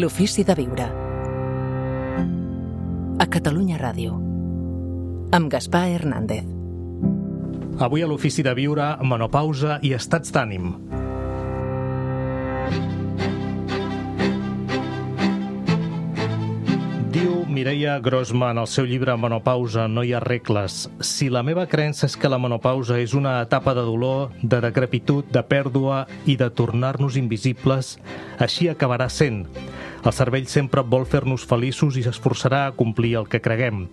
L'ofici de viure. A Catalunya Ràdio. Amb Gaspar Hernández. Avui a l'ofici de viure, menopausa i estats d'ànim. Diu Mireia Grossman al seu llibre Menopausa, no hi ha regles. Si la meva creença és que la menopausa és una etapa de dolor, de decrepitud, de pèrdua i de tornar-nos invisibles, així acabarà sent. El cervell sempre vol fer-nos feliços i s'esforçarà a complir el que creguem.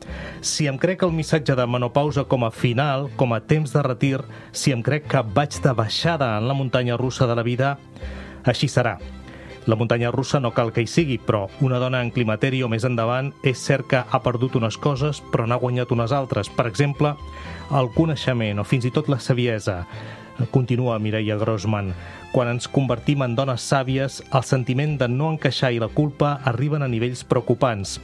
Si em crec el missatge de menopausa com a final, com a temps de retir, si em crec que vaig de baixada en la muntanya russa de la vida, així serà. La muntanya russa no cal que hi sigui, però una dona en climateri o més endavant és cert que ha perdut unes coses però n'ha guanyat unes altres. Per exemple, el coneixement o fins i tot la saviesa. Continua Mireia Grossman. Quan ens convertim en dones sàvies, el sentiment de no encaixar i la culpa arriben a nivells preocupants.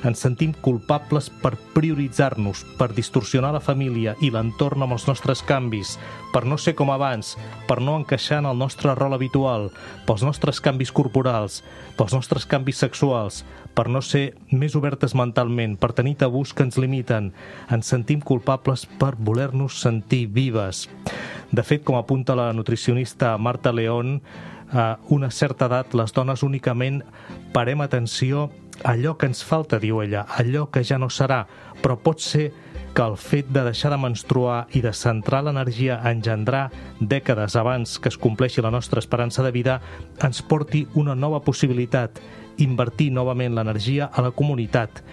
Ens sentim culpables per prioritzar-nos, per distorsionar la família i l'entorn amb els nostres canvis, per no ser com abans, per no encaixar en el nostre rol habitual, pels nostres canvis corporals, pels nostres canvis sexuals, per no ser més obertes mentalment, per tenir tabús que ens limiten. Ens sentim culpables per voler-nos sentir vives. De fet, com apunta la nutricionista Marta León, a una certa edat les dones únicament parem atenció a allò que ens falta, diu ella, allò que ja no serà, però pot ser que el fet de deixar de menstruar i de centrar l'energia a engendrar dècades abans que es compleixi la nostra esperança de vida ens porti una nova possibilitat, invertir novament l'energia a la comunitat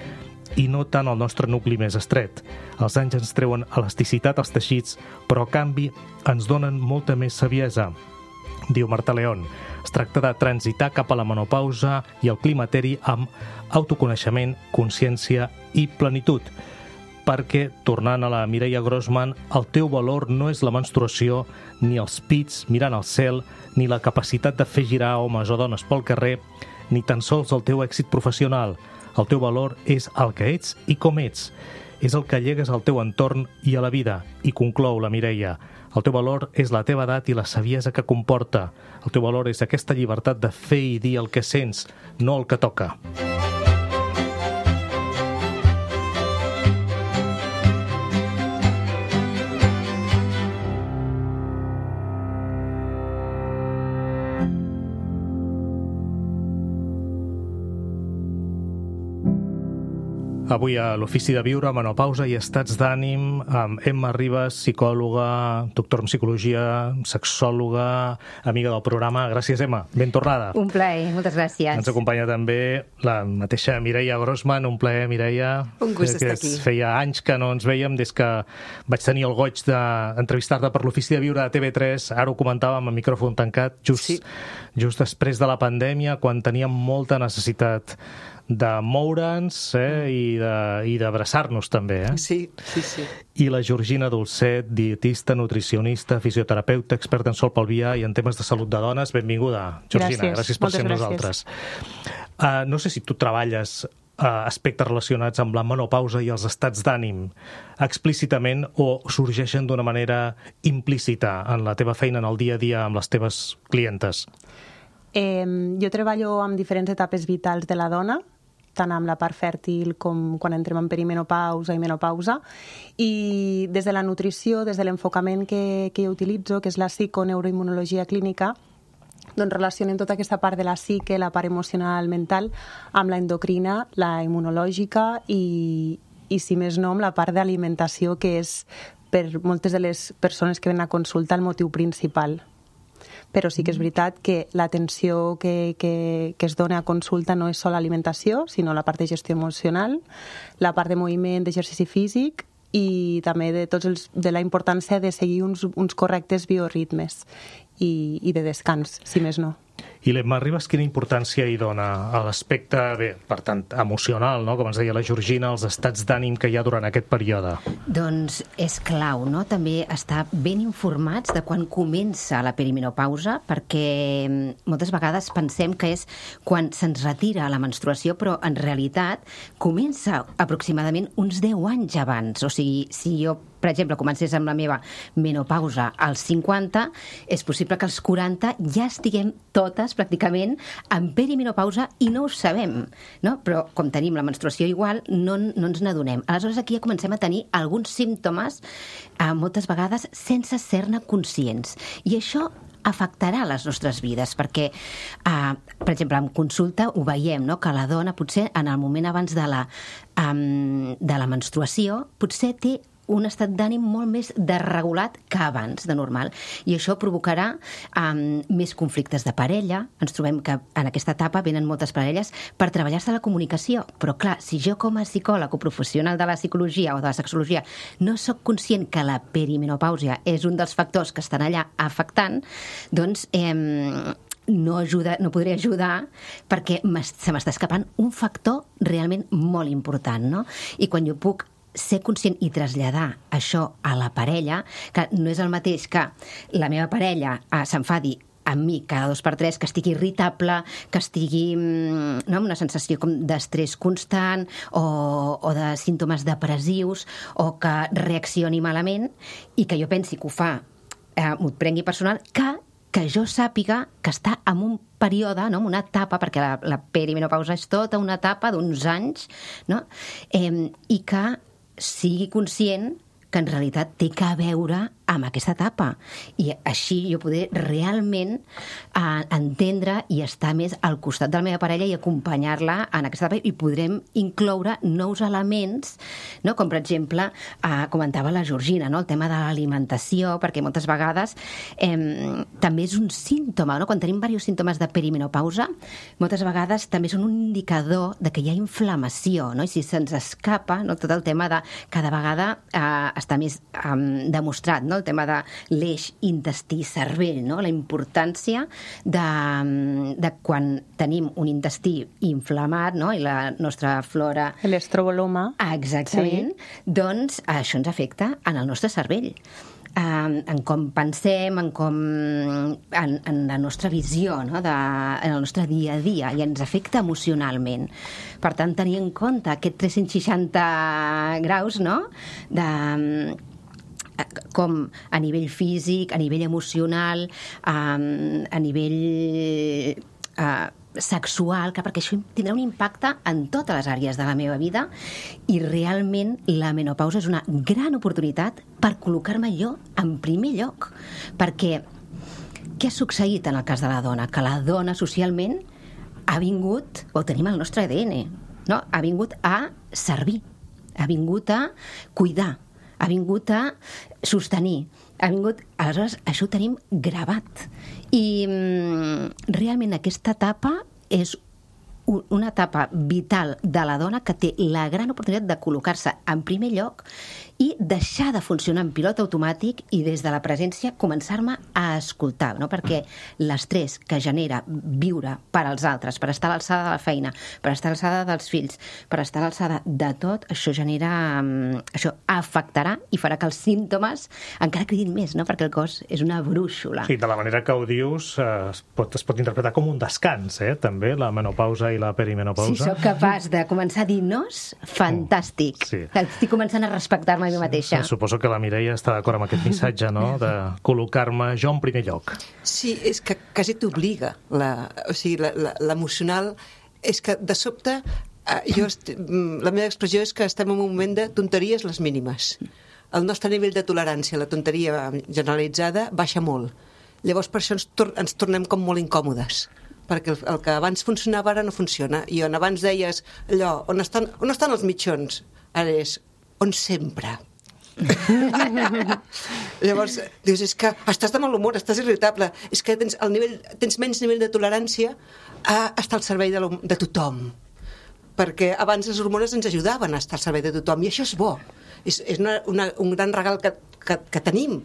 i no tant al nostre nucli més estret. Els anys ens treuen elasticitat als teixits, però a canvi ens donen molta més saviesa. Diu Marta León, es tracta de transitar cap a la menopausa i el climateri amb autoconeixement, consciència i plenitud. Perquè, tornant a la Mireia Grossman, el teu valor no és la menstruació, ni els pits mirant al cel, ni la capacitat de fer girar homes o dones pel carrer, ni tan sols el teu èxit professional. El teu valor és el que ets i com ets. És el que llegues al teu entorn i a la vida. I conclou la Mireia. El teu valor és la teva edat i la saviesa que comporta. El teu valor és aquesta llibertat de fer i dir el que sents, no el que toca. Avui a l'Ofici de Viure, menopausa i estats d'ànim, amb Emma Ribas, psicòloga, doctora en psicologia, sexòloga, amiga del programa. Gràcies, Emma. Ben tornada. Un plaer, moltes gràcies. Ens acompanya també la mateixa Mireia Grossman. Un plaer, Mireia. Un gust estar aquí. Feia anys que no ens veiem des que vaig tenir el goig d'entrevistar-te per l'Ofici de Viure a TV3. Ara ho comentàvem a micròfon tancat, just després de la pandèmia, quan teníem molta necessitat de moure'ns i d'abraçar-nos també. Sí. I la Georgina Dolcet, dietista, nutricionista, fisioterapeuta, experta en sol pelvià i en temes de salut de dones. Benvinguda, Georgina. Gràcies per ser amb nosaltres. No sé si tu treballes aspectes relacionats amb la menopausa i els estats d'ànim explícitament o sorgeixen d'una manera implícita en la teva feina, en el dia a dia amb les teves clientes. Jo treballo amb diferents etapes vitals de la dona, tant amb la part fèrtil com quan entrem en perimenopausa i menopausa, i des de la nutrició, des de l'enfocament que jo utilitzo, que és la psiconeuroimmunologia clínica, doncs relacionem tota aquesta part de la psique, la part emocional, mental, amb la endocrina, la immunològica i si més no, amb la part d'alimentació, que és per moltes de les persones que venen a consulta el motiu principal. Però sí que és veritat que l'atenció que es dona a consulta no és sola alimentació, sinó la part de gestió emocional, la part de moviment, d'exercici físic i també de la importància de seguir uns correctes bioritmes i de descans, si més no. I l'Emma Ribas, quina importància hi dona a l'aspecte, per tant, emocional, no? Com ens deia la Georgina, els estats d'ànim que hi ha durant aquest període? Doncs és clau, no? També estar ben informats de quan comença la perimenopausa, perquè moltes vegades pensem que és quan se'ns retira la menstruació, però en realitat comença aproximadament uns 10 anys abans. O sigui, si jo per exemple, comencés amb la meva menopausa als 50, és possible que als 40 ja estiguem totes, pràcticament, en perimenopausa i no ho sabem, no? Però com tenim la menstruació igual, no ens n'adonem. Aleshores, aquí ja comencem a tenir alguns símptomes, moltes vegades, sense ser-ne conscients. I això afectarà les nostres vides, perquè, per exemple, en consulta ho veiem, no? Que la dona, potser, en el moment abans de la menstruació, potser té un estat d'ànim molt més desregulat que abans, de normal. I això provocarà més conflictes de parella. Ens trobem que en aquesta etapa venen moltes parelles per treballar-se la comunicació. Però, clar, si jo com a psicòleg o professional de la psicologia o de la sexologia no sóc conscient que la perimenopàusia és un dels factors que estan allà afectant, doncs no podré ajudar perquè se m'està escapant un factor realment molt important, no? I quan jo puc ser conscient i traslladar això a la parella, que no és el mateix que la meva parella s'enfadi amb mi cada 2 per 3, que estigui irritable, que estigui amb una sensació com d'estrès constant o de símptomes depressius o que reaccioni malament i que jo pensi que ho fa, m'ho prengui personal, que jo sàpiga que està en un període, no? En una etapa, perquè la perimenopausa és tota una etapa d'uns anys, no? I que sigui conscient que en realitat té que veure amb aquesta etapa. I així jo poder realment entendre i estar més al costat de la meva parella i acompanyar-la en aquesta etapa i podrem incloure nous elements, no? Com per exemple, comentava la Georgina, no? El tema de l'alimentació, perquè moltes vegades també és un símptoma, no? Quan tenim diversos símptomes de perimenopausa, moltes vegades també són un indicador de que hi ha inflamació, no? I si se'ns escapa, no? Tot el tema de cada vegada està més demostrat, no? El tema de l'eix intestí-cervell, no? La importància de quan tenim un intestí inflamat, no? I la nostra flora... L'estroboloma. Exactament. Sí. Doncs això ens afecta en el nostre cervell. En com pensem, en la nostra visió, no? En el nostre dia a dia, i ens afecta emocionalment. Per tant, tenir en compte aquest 360 graus, no? Com a nivell físic, a nivell emocional, a nivell sexual, perquè això tindrà un impacte en totes les àrees de la meva vida i realment la menopausa és una gran oportunitat per col·locar-me jo en primer lloc. Perquè què ha succeït en el cas de la dona? Que la dona socialment ha vingut, ho tenim al nostre ADN, no? Ha vingut a servir, ha vingut a cuidar, ha vingut a sostenir, aleshores això ho tenim gravat. I realment aquesta etapa és una etapa vital de la dona que té la gran oportunitat de col·locar-se en primer lloc i deixar de funcionar en pilot automàtic i des de la presència començar-me a escoltar, no? Perquè l'estrès que genera viure per als altres, per estar a l'alçada de la feina, per estar a l'alçada dels fills, per estar a l'alçada de tot, això això afectarà i farà que els símptomes encara cridin més, no? Perquè el cos és una brúixola. Sí, de la manera que ho dius es pot interpretar com un descans, també, la menopausa i la perimenopausa. Si sóc capaç de començar a dir nos, fantàstic. Sí. Estic començant a respectar-me a mi mateixa. Suposo que la Mireia està d'acord amb aquest missatge, no?, de col·locar-me jo en primer lloc. Sí, és que quasi t'obliga. L'emocional és que de sobte la meva expressió és que estem en un moment de tonteries les mínimes. El nostre nivell de tolerància a la tonteria generalitzada baixa molt. Llavors per això ens tornem com molt incòmodes, perquè el que abans funcionava ara no funciona, i on abans deies allò, on estan els mitjons? Ara és on sempre. Llavors dius, és que estàs de mal humor, estàs irritable, és que tens menys nivell de tolerància a estar al servei de tothom, perquè abans les hormones ens ajudaven a estar al servei de tothom, i això és bo, és un gran regal que tenim,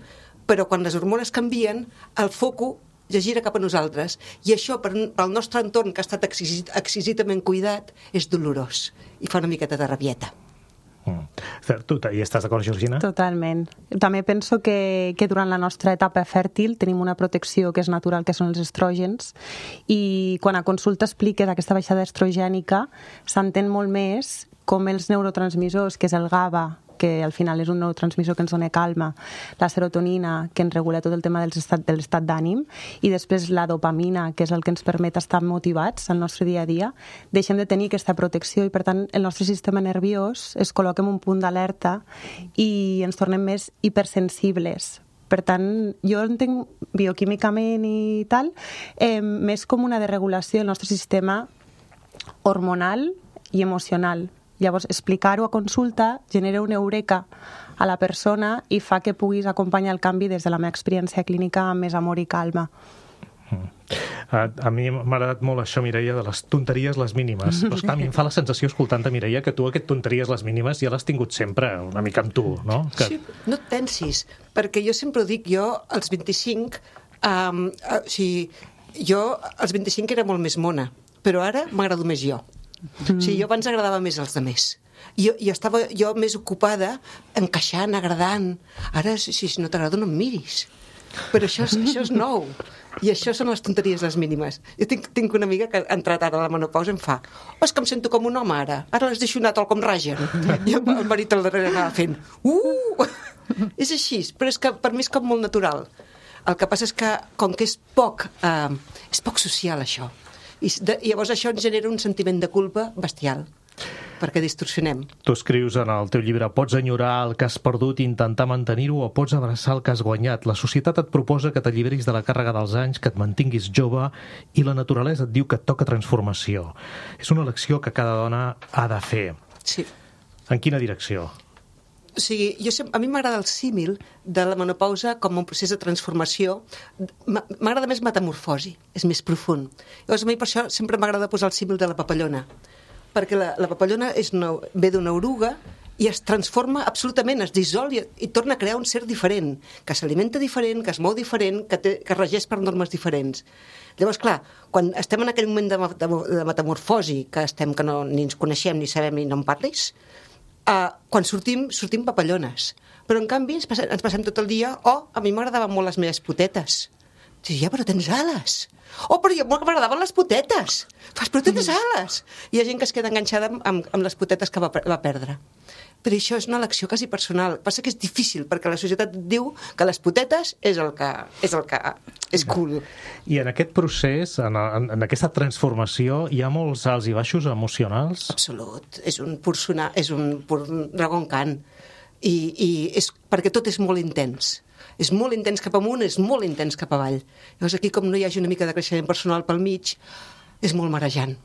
però quan les hormones canvien, el foco ja gira cap a nosaltres, i això pel nostre entorn, que ha estat exquisidament cuidat, és dolorós i fa una miqueta de rabieta. Tu hi estàs d'acord, Georgina? Totalment. També penso que durant la nostra etapa fèrtil tenim una protecció que és natural, que són els estrògens, i quan a consulta expliques aquesta baixada estrogènica s'entén molt més com els neurotransmissors, que és el GABA, que al final és un neurotransmissor que ens dona calma, la serotonina, que ens regula tot el tema de l'estat d'ànim, i després la dopamina, que és el que ens permet estar motivats al nostre dia a dia, deixem de tenir aquesta protecció i, per tant, el nostre sistema nerviós es col·loca en un punt d'alerta i ens tornem més hipersensibles. Per tant, jo entenc bioquímicament i tal, més com una desregulació del nostre sistema hormonal i emocional. Llavors, explicar-ho a consulta genera una eureka a la persona i fa que puguis acompanyar el canvi des de la meva experiència clínica amb més amor i calma. A mi m'ha agradat molt això, Mireia, de les tonteries les mínimes. Però esclar, a mi em fa la sensació, escoltant-te, Mireia, que tu aquest tonteries les mínimes ja l'has tingut sempre una mica amb tu, no? Que... Sí, no et pensis, perquè jo sempre ho dic, jo als 25, jo als 25 era molt més mona, però ara m'agrado més jo. O sigui, jo abans agradava més als altres. Jo estava més ocupada encaixant, agradant. Ara, si no t'agrada, no em miris. Però això és nou. I això són les tonteries les mínimes. Jo tinc una amiga que ha entrat ara a la menopausa i em fa: oh, és que em sento com un home ara les deixo anar tal com ragen. I el marit al darrere anava fent és així, però és que per mi és com molt natural. El que passa és que com que és poc social això, i llavors això ens genera un sentiment de culpa bestial, perquè distorsionem. Tu escrius en el teu llibre: pots enyorar el que has perdut i intentar mantenir-ho, o pots abraçar el que has guanyat. La societat et proposa que t'alliberis de la càrrega dels anys, que et mantinguis jove, i la naturalesa et diu que et toca transformació. És una elecció que cada dona ha de fer. Sí. En quina direcció? O sigui, a mi m'agrada el símil de la menopausa com un procés de transformació. M'agrada més metamorfosi, és més profund. Llavors, a mi per això sempre m'agrada posar el símil de la papallona, perquè la papallona ve d'una oruga i es transforma absolutament, es dissol i torna a crear un ser diferent, que s'alimenta diferent, que es mou diferent, que regeix per normes diferents. Llavors, clar, quan estem en aquell moment de metamorfosi, que ni ens coneixem, ni sabem, ni no en parlis, quan sortim papallones. Però, en canvi, ens passem tot el dia: oh, a mi m'agradaven molt les meves potetes. Sí, ja, però tens ales. Oh, però jo m'agradaven les potetes. Però tens ales. Hi ha gent que es queda enganxada amb les potetes que va perdre. Però això és una elecció quasi personal. Passa que és difícil, perquè la societat diu que les potetes és el que és cool. I en aquest procés, en aquesta transformació, hi ha molts alts i baixos emocionals? Absolut. És un pur dragon cant. I és perquè tot és molt intens. És molt intens cap amunt, és molt intens cap avall. Llavors aquí, com no hi hagi una mica de creixement personal pel mig, és molt marejant.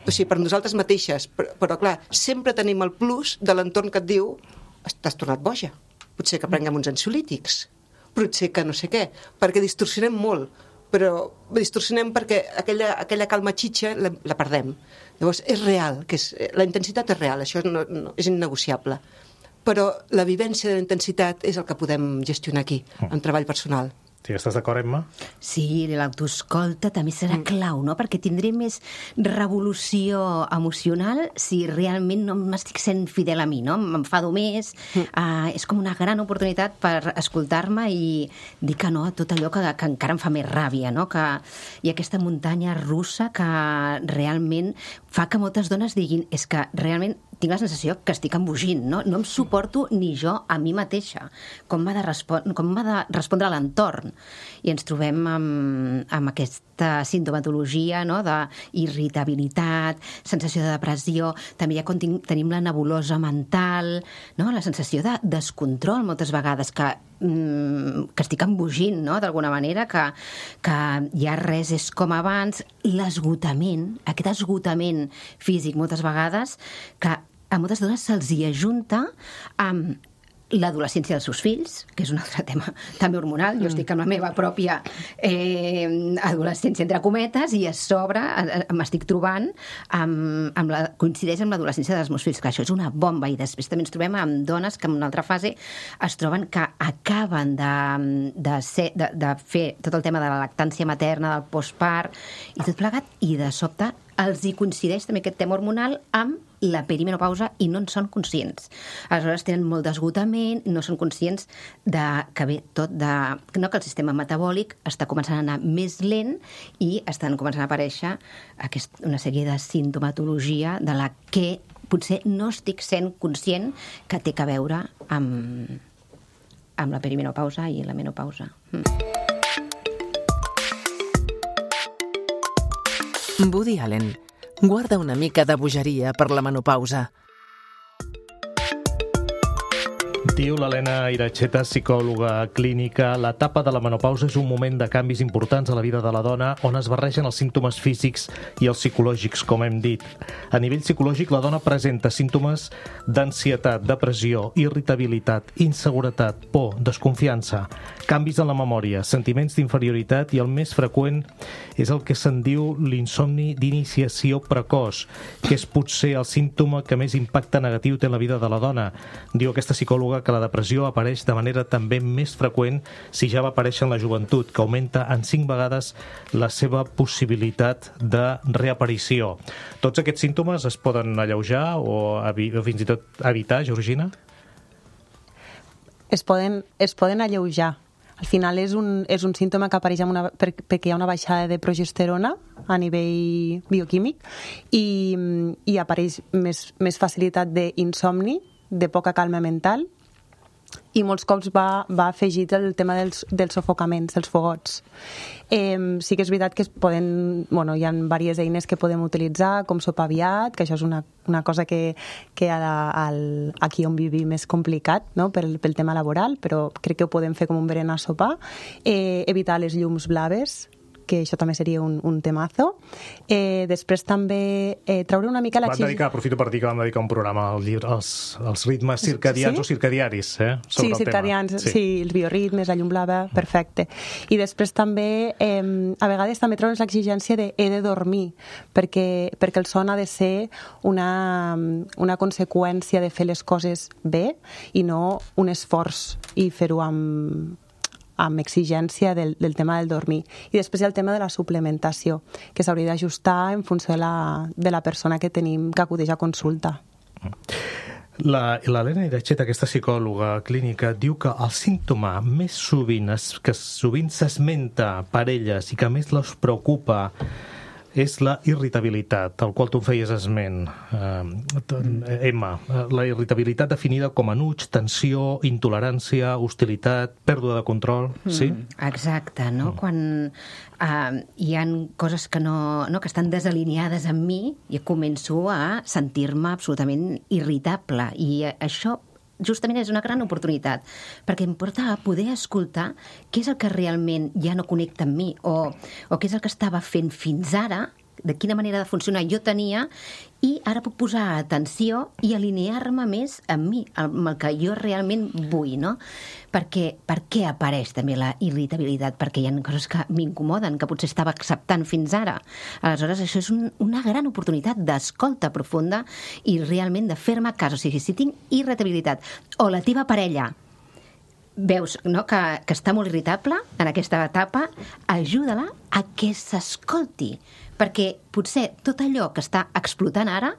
O sigui, per nosaltres mateixes, però clar, sempre tenim el plus de l'entorn que et diu: t'has tornat boja, potser que prenguem uns ansiolítics, potser que no sé què, perquè distorsionem molt, però distorsionem perquè aquella calma xitxa la perdem. Llavors és real, la intensitat és real, això és innegociable. Però la vivència de la intensitat és el que podem gestionar aquí, en treball personal. Sí, estàs d'acord, Emma? Sí, l'autoescolta també serà clau, no? Perquè tindré més revolució emocional si realment no m'estic sent fidel a mi, no? M'enfado més, és com una gran oportunitat per escoltar-me i dir que no a tot allò que encara em fa més ràbia, no? Hi ha aquesta muntanya russa que realment fa que moltes dones diguin: és que realment tinc la sensació que estic embogint, no? No em suporto ni jo a mi mateixa. Com m'ha de respondre a l'entorn? I ens trobem amb aquesta sintomatologia, no? D'irritabilitat, sensació de depressió, també ja tenim la nebulosa mental, no? La sensació de descontrol moltes vegades, que estic embogint, no? D'alguna manera, que ja res és com abans. L'esgotament, aquest esgotament físic moltes vegades, que a moltes dones se'ls hi ajunta amb l'adolescència dels seus fills, que és un altre tema també hormonal. Jo estic amb la meva pròpia adolescència, entre cometes, i a sobre m'estic trobant coincideix amb l'adolescència dels meus fills, que això és una bomba. I després també ens trobem amb dones que en una altra fase es troben que acaben de fer tot el tema de la lactància materna, del postpart i tot plegat, i de sobte els hi coincideix també aquest tema hormonal amb la perimenopausa i no en són conscients. Aleshores tenen molt d'esgotament, no són conscients que ve tot que el sistema metabòlic està començant a anar més lent i estan començant a aparèixer una sèrie de sintomatologia de la que potser no estic sent conscient que té a veure amb la perimenopausa i la menopausa. Woody Allen guarda una mica de bogeria per la menopausa. Diu l'Helena Iracheta, psicòloga clínica, l'etapa de la menopausa és un moment de canvis importants a la vida de la dona on es barregen els símptomes físics i els psicològics, com hem dit. A nivell psicològic, la dona presenta símptomes d'ansietat, depressió, irritabilitat, inseguretat, por, desconfiança, canvis en la memòria, sentiments d'inferioritat i el més freqüent és el que se'n diu l'insomni d'iniciació precoç, que és potser el símptoma que més impacte negatiu té en la vida de la dona. Diu aquesta psicòloga que la depressió apareix de manera també més freqüent si ja va aparèixer en la joventut, que augmenta en 5 vegades la seva possibilitat de reaparició. Tots aquests símptomes es poden alleujar o fins i tot evitar, Georgina? Es poden alleujar. Al final és un símptoma que apareix perquè hi ha una baixada de progesterona a nivell bioquímic i apareix més facilitat d'insomni, de poca calma mental, i molts cops va afegit el tema dels sofocaments, dels fogots. Sí que és veritat que hi ha diverses eines que podem utilitzar, com sopar aviat, que això és una cosa que aquí on vivim és complicat, no? pel tema laboral, però crec que ho podem fer com un berenar a sopar. Evitar les llums blaves, que això també seria un temazo. Després també treure una mica aprofito per dir que vam dedicar un programa al llibre, els ritmes circadians o circadiaris, sí, circadians, sí, els bioritmes, la llum blava, perfecte. I després també, a vegades també treure's l'exigència de he de dormir, perquè el son ha de ser una conseqüència de fer les coses bé i no un esforç i fer-ho amb exigència del tema del dormir. I després hi ha el tema de la suplementació, que s'hauria d'ajustar en funció de la persona que tenim que acudeix a consulta. L'Helena Iracheta, aquesta psicòloga clínica, diu que el símptoma més sovint que sovint s'esmenta per elles i que més les preocupa és la irritabilitat, al qual tu feies esment, Emma. La irritabilitat definida com enuig, tensió, intolerància, hostilitat, pèrdua de control, sí? Exacte, no? Quan hi ha coses que que estan desalineades amb mi, jo començo a sentir-me absolutament irritable, i això justament és una gran oportunitat, perquè em porta a poder escoltar què és el que realment ja no connecta amb mi, o què és el que estava fent fins ara, de quina manera de funcionar jo tenia, i ara puc posar atenció i alinear-me més amb mi, amb el que jo realment vull, no? Per què apareix també la irritabilitat? Perquè hi ha coses que m'incomoden, que potser estava acceptant fins ara. Aleshores, això és una gran oportunitat d'escolta profunda i realment de fer-me cas. O sigui, si tinc irritabilitat o la teva parella veus, no, que està molt irritable en aquesta etapa, ajuda-la a que s'escolti, perquè potser tot allò que està explotant ara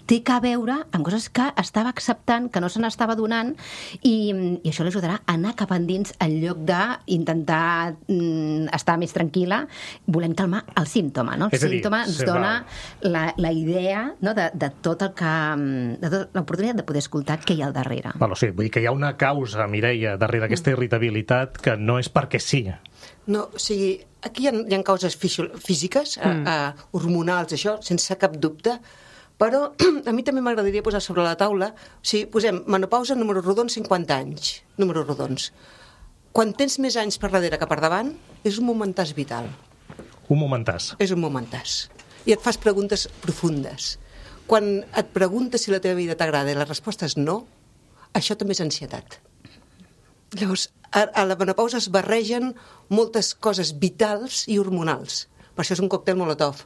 té que veure amb coses que estava acceptant, que no se n'estava donant, i això l'ajudarà a anar cap endins en lloc d'intentar estar més tranquil·la, volent calmar el símptoma, no? El símptoma ens dona la idea, no, de tot el que... de tota l'oportunitat de poder escoltar què hi ha al darrere. Sí, vull dir que hi ha una causa, Mireia, darrere d'aquesta irritabilitat que no és perquè sí. No, o sigui, aquí hi ha causes físiques, hormonals, això, sense cap dubte, però a mi també m'agradaria posar sobre la taula, o sigui, posem menopausa, números rodons, 50 anys, números rodons. Quan tens més anys per darrere que per davant, és un momentàs vital. Un momentàs. És un momentàs. I et fas preguntes profundes. Quan et preguntes si la teva vida t'agrada i la resposta és no, això també és ansietat. Llavors, a la menopausa es barregen moltes coses vitals i hormonals. Per això és un còctel Molotov.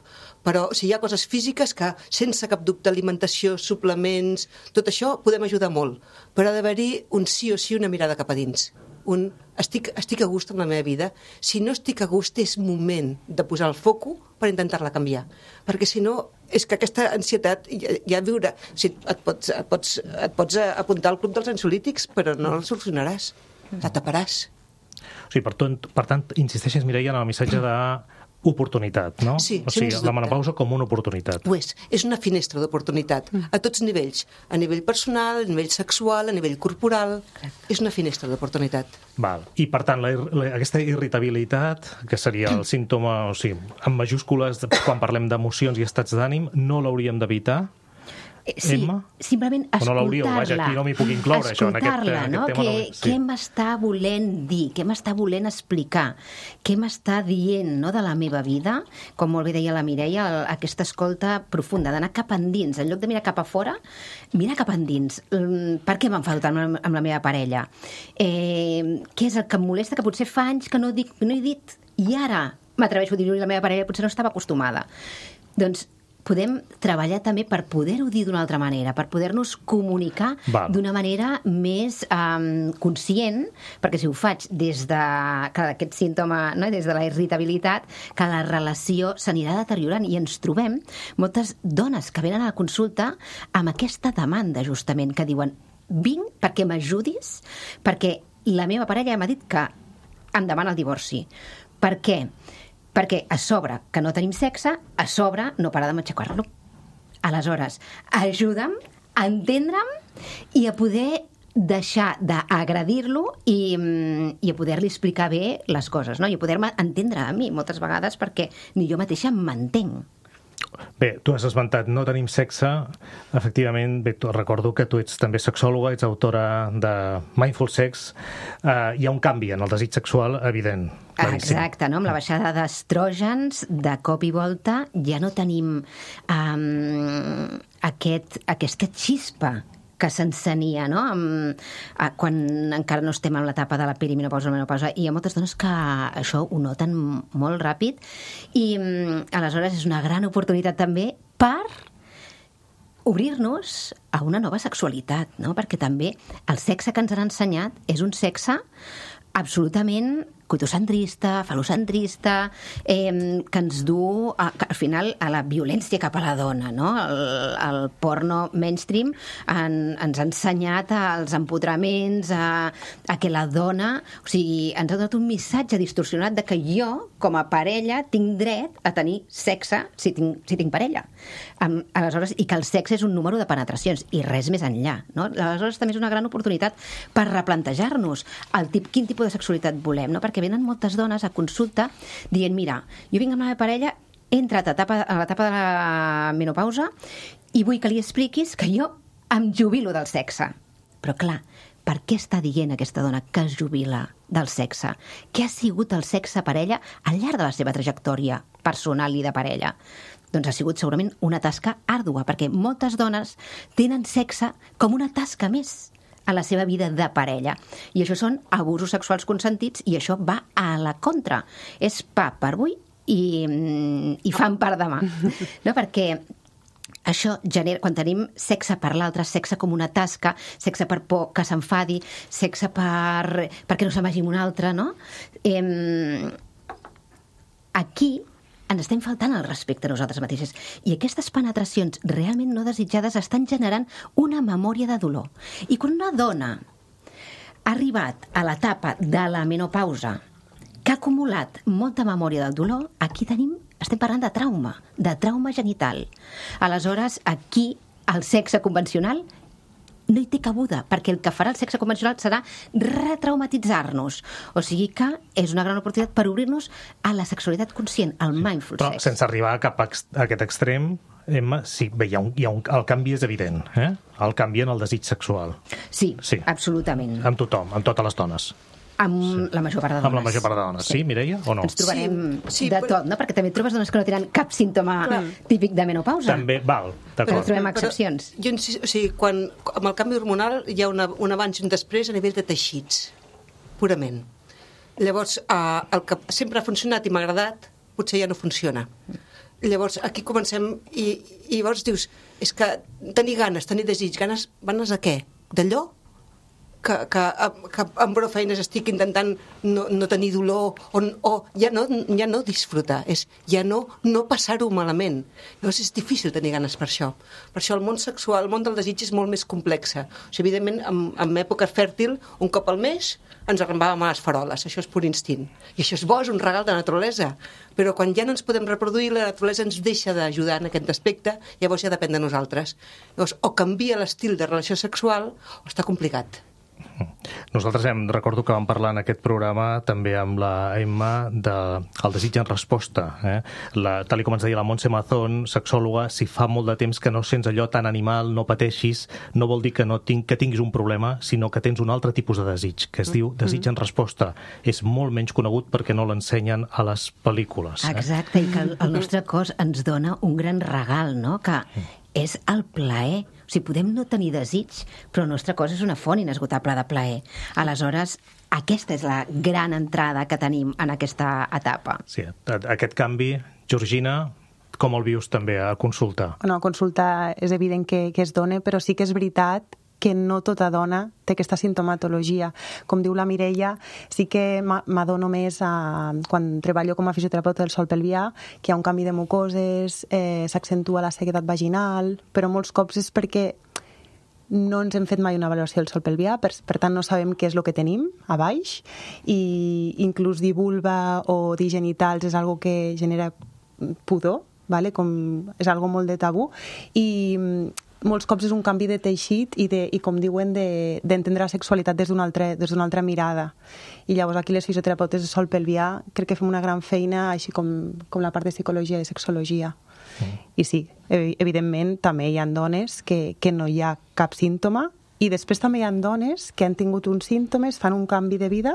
Però si hi ha coses físiques que, sense cap dubte, alimentació, suplements, tot això podem ajudar molt. Però ha d'haver-hi un sí o sí, una mirada cap a dins. Estic a gust amb la meva vida. Si no estic a gust, és moment de posar el foco per intentar-la canviar. Perquè si no, és que aquesta ansietat ja viurà... O sigui, et pots apuntar al club dels ansiolítics, però no el solucionaràs. La taparàs. O sigui, per tant, insisteixes, Mireia, en el missatge de oportunitat, no? Sí, o sigui, sens la dubte. menopausa com una oportunitat. Ho és una finestra d'oportunitat, a tots nivells, a nivell personal, a nivell sexual, a nivell corporal, és una finestra d'oportunitat. Val. I, per tant, aquesta irritabilitat, que seria el símptoma, o sigui, en majúscules, quan parlem d'emocions i estats d'ànim, no l'hauríem d'evitar? Sí, Emma? simplement O no l'hauríeu? escoltar-la. Vaja, aquí no m'hi puc incloure, això, en aquest Escoltar-la, no? tema. Què m'està volent dir? Què m'està volent explicar? Què m'està dient, no, de la meva vida? Com molt bé deia la Mireia, aquesta escolta profunda, d'anar cap endins. En lloc de mirar cap a fora, mirar cap endins. Per què m'enfado tant amb la meva parella? Què és el que em molesta, que potser fa anys que no he dit, i ara m'atreveixo a dir-ho, i la meva parella potser no estava acostumada. Doncs podem treballar també per poder-ho dir d'una altra manera, per poder-nos comunicar d'una manera més conscient, perquè si ho faig des d'aquest símptoma, no? Des de la irritabilitat, que la relació s'anirà deteriorant, i ens trobem moltes dones que venen a la consulta amb aquesta demanda, justament, que diuen: vinc perquè m'ajudis, perquè la meva parella m'ha dit que em demana el divorci. Per què? Perquè a sobre que no tenim sexe, a sobre no para de matxacar-lo. Aleshores, ajuda'm a entendre'm i a poder deixar d'agredir-lo i a poder-li explicar bé les coses, no? I a poder-me entendre a mi moltes vegades, perquè ni jo mateixa m'entenc. Bé, tu has esmentat no tenim sexe. Efectivament, bé, recordo que tu ets també sexòloga, ets autora de Mindful Sex. Hi ha un canvi en el desig sexual evident. Claríssim. Exacte, no? Amb la baixada d'estrògens, de cop i volta, ja no tenim aquesta xispa que s'encenia, no? Quan encara no estem en l'etapa de la perimenopausa o la menopausa, i hi ha moltes dones que això ho noten molt ràpid, i aleshores és una gran oportunitat també per obrir-nos a una nova sexualitat, no? Perquè també el sexe que ens han ensenyat és un sexe absolutament coitocentrista, falocentrista, que ens du, al final, a la violència cap a la dona, no? El porno mainstream ens ha ensenyat als empotraments, a que la dona... O sigui, ens ha donat un missatge distorsionat de que jo, com a parella, tinc dret a tenir sexe si tinc parella. Aleshores, i que el sexe és un número de penetracions, i res més enllà, no? Aleshores, també és una gran oportunitat per replantejar-nos quin tipus de sexualitat volem, no? Perquè venen moltes dones a consulta dient: mira, jo vinc amb la meva parella, he entrat a l'etapa de la menopausa i vull que li expliquis que jo em jubilo del sexe. Però clar, per què està dient aquesta dona que es jubila del sexe? Què ha sigut el sexe parella al llarg de la seva trajectòria personal i de parella? Doncs ha sigut segurament una tasca àrdua, perquè moltes dones tenen sexe com una tasca més a la seva vida de parella. I això són abusos sexuals consentits, i això va a la contra. És pa per avui i fam per demà. No? Perquè això genera, quan tenim sexe per l'altre, sexe com una tasca, sexe per por que s'enfadi, sexe perquè no se'n vagi un altre, no? Aquí ens estem faltant el respecte a nosaltres mateixes. I aquestes penetracions realment no desitjades estan generant una memòria de dolor. I quan una dona ha arribat a l'etapa de la menopausa, que ha acumulat molta memòria del dolor, aquí estem parlant de trauma genital. Aleshores, aquí el sexe convencional no hi té cabuda, perquè el que farà el sexe convencional serà retraumatitzar-nos. O sigui que és una gran oportunitat per obrir-nos a la sexualitat conscient, al mindful sex. Però sense arribar cap a aquest extrem, Emma, sí, bé, el canvi és evident, eh? El canvi en el desig sexual. Sí, absolutament. Amb tothom, amb totes les dones. Amb la major part de dones. Amb la major part de dones, sí, Mireia, o no? Ens trobarem de tot, no? Perquè també trobes dones que no tenen cap símptoma típic de menopausa. També, val, però trobem excepcions. O sigui, amb el canvi hormonal hi ha un abans i un després a nivell de teixits, purament. Llavors, el que sempre ha funcionat i m'ha agradat, potser ja no funciona. Llavors, aquí comencem i llavors dius, és que tenir ganes, tenir desig, ganes a què? D'allò? que amb prou feines estic intentant no tenir dolor o ja no disfrutar, és ja no passar-ho malament. Llavors és difícil tenir ganes per això. Per això el món sexual, el món del desig és molt més complex. O sigui, evidentment, en època fèrtil, un cop al mes ens arrambàvem a les faroles, això és pur instint. I això és bo, és un regal de naturalesa. Però quan ja no ens podem reproduir, la naturalesa ens deixa d'ajudar en aquest aspecte, llavors ja depèn de nosaltres. Llavors, o canvia l'estil de relació sexual o està complicat. Nosaltres recordo que vam parlar en aquest programa també amb la Emma del desig en resposta. Tal com ens deia la Montse Mazón, sexòloga, si fa molt de temps que no sents allò tan animal, no pateixis, no vol dir que tinguis un problema, sinó que tens un altre tipus de desig, que es diu desig en resposta. És molt menys conegut perquè no l'ensenyen a les pel·lícules. Exacte, i que el nostre cos ens dona un gran regal, no?, que és el plaer. O sigui, podem no tenir desig, però el nostre cos és una font inesgotable de plaer. Aleshores, aquesta és la gran entrada que tenim en aquesta etapa. Sí, aquest canvi, Georgina, com el vius també a consulta? No, a consulta és evident que es dona, però sí que és veritat que no tota dona té aquesta sintomatologia. Com diu la Mireia, sí que m'adono més quan treballo com a fisioterapeuta del sòl pelvià, que hi ha un canvi de mucoses, s'accentua la sequedat vaginal, però molts cops és perquè no ens hem fet mai una valoració del sòl pelvià, per tant no sabem què és el que tenim a baix, i inclús dir vulva o dir genitals és algo que genera pudor, vale? És algo molt de tabú, i molts cops és un canvi de teixit i com diuen, d'entendre la sexualitat des d'una altra mirada. I llavors aquí les fisioterapeutes de sòl pelvià crec que fem una gran feina, així com la part de psicologia i sexologia. I sí, evidentment també hi ha dones que no hi ha cap símptoma, i després també hi ha dones que han tingut uns símptomes, fan un canvi de vida,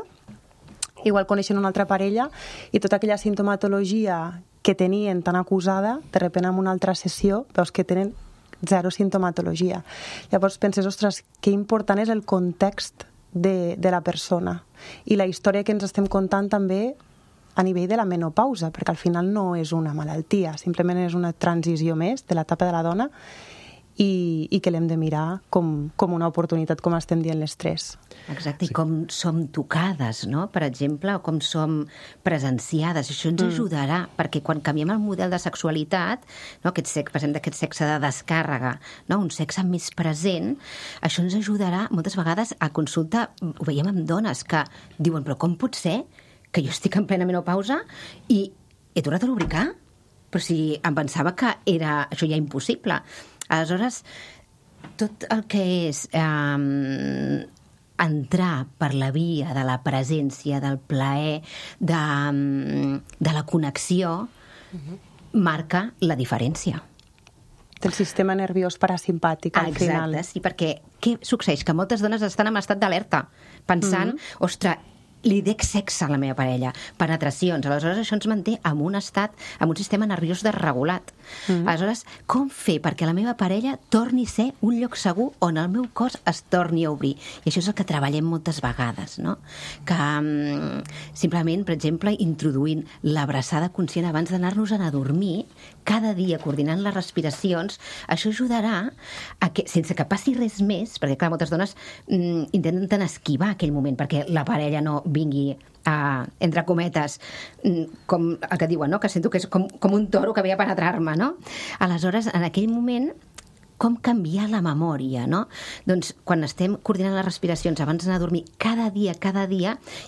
igual coneixen una altra parella, i tota aquella sintomatologia que tenien tan acusada, de sobte en una altra sessió veus que tenen zero sintomatologia. Llavors penses, ostres, que important és el context de la persona i la història que ens estem contant també a nivell de la menopausa, perquè al final no és una malaltia, simplement és una transició més de l'etapa de la dona i que l'hem de mirar com una oportunitat, com estem dient les tres. Exacte, i com som tocades, no?, per exemple, o com som presenciades. Això ens ajudarà, perquè quan canviem el model de sexualitat, no?, passem d'aquest sexe de descàrrega, no?, un sexe més present, això ens ajudarà moltes vegades a consulta. Ho veiem amb dones que diuen, però com pot ser que jo estic en plena menopausa i he tornat a lubricar? Però si em pensava que era això ja impossible. Aleshores, tot el que és entrar per la via de la presència, del plaer, de la connexió, marca la diferència. Del sistema nerviós parasimpàtic, al final. Exacte, sí, perquè què succeeix? Que moltes dones estan en estat d'alerta, pensant, ostres, li dec sexe a la meva parella, penetracions. Aleshores, això ens manté en un estat, en un sistema nerviós desregulat. Aleshores, com fer perquè la meva parella torni a ser un lloc segur on el meu cos es torni a obrir? I això és el que treballem moltes vegades, no? Que simplement, per exemple, introduint l'abraçada conscient abans d'anar-nos a dormir, cada dia coordinant les respiracions, això ajudarà a que, sense que passi res més, perquè clar, moltes dones intenten esquivar aquell moment perquè la parella no vingui entre cometes, com el que diuen, no?, que sento que és com un toro que ve a penetrar-me, no? Aleshores, en aquell moment, com canviar la memòria, no? Doncs quan estem coordinant les respiracions abans d'anar a dormir, cada dia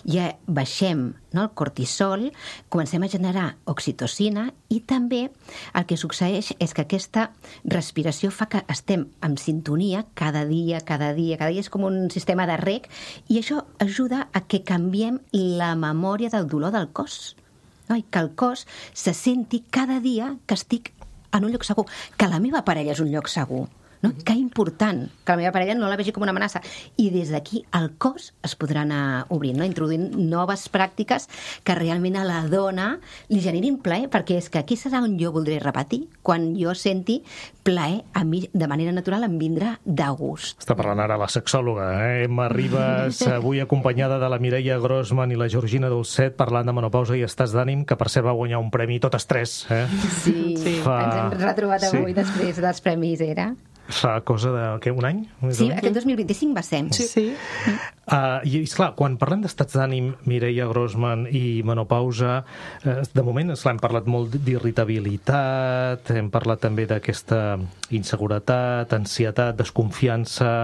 ja baixem, no?, el cortisol, comencem a generar oxitocina, i també el que succeeix és que aquesta respiració fa que estem en sintonia cada dia, és com un sistema de reg, i això ajuda a que canviem la memòria del dolor del cos, no? I que el cos se senti cada dia que estic en un lloc segur, que la meva parella és un lloc segur, no? Que important, que la meva parella no la vegi com una amenaça. I des d'aquí el cos es podrà anar obrint, no?, introduint noves pràctiques que realment a la dona li generin plaer, perquè és que aquí serà on jo voldré repetir, quan jo senti plaer a mi de manera natural, em vindrà de gust. Està parlant ara la sexòloga, Emma Ribas, avui acompanyada de la Mireia Grossman i la Georgina Dolcet, parlant de menopausa i estats d'ànim, que per cert va guanyar un premi totes tres. Sí. Ens hem retrobat avui després dels premis, era... Fa cosa de, què, un any? Sí, aquest 2025 va ser. Sí. I, esclar, quan parlem d'estats d'ànim, Mireia Grossman, i menopausa, de moment, esclar, hem parlat molt d'irritabilitat, hem parlat també d'aquesta inseguretat, ansietat, desconfiança,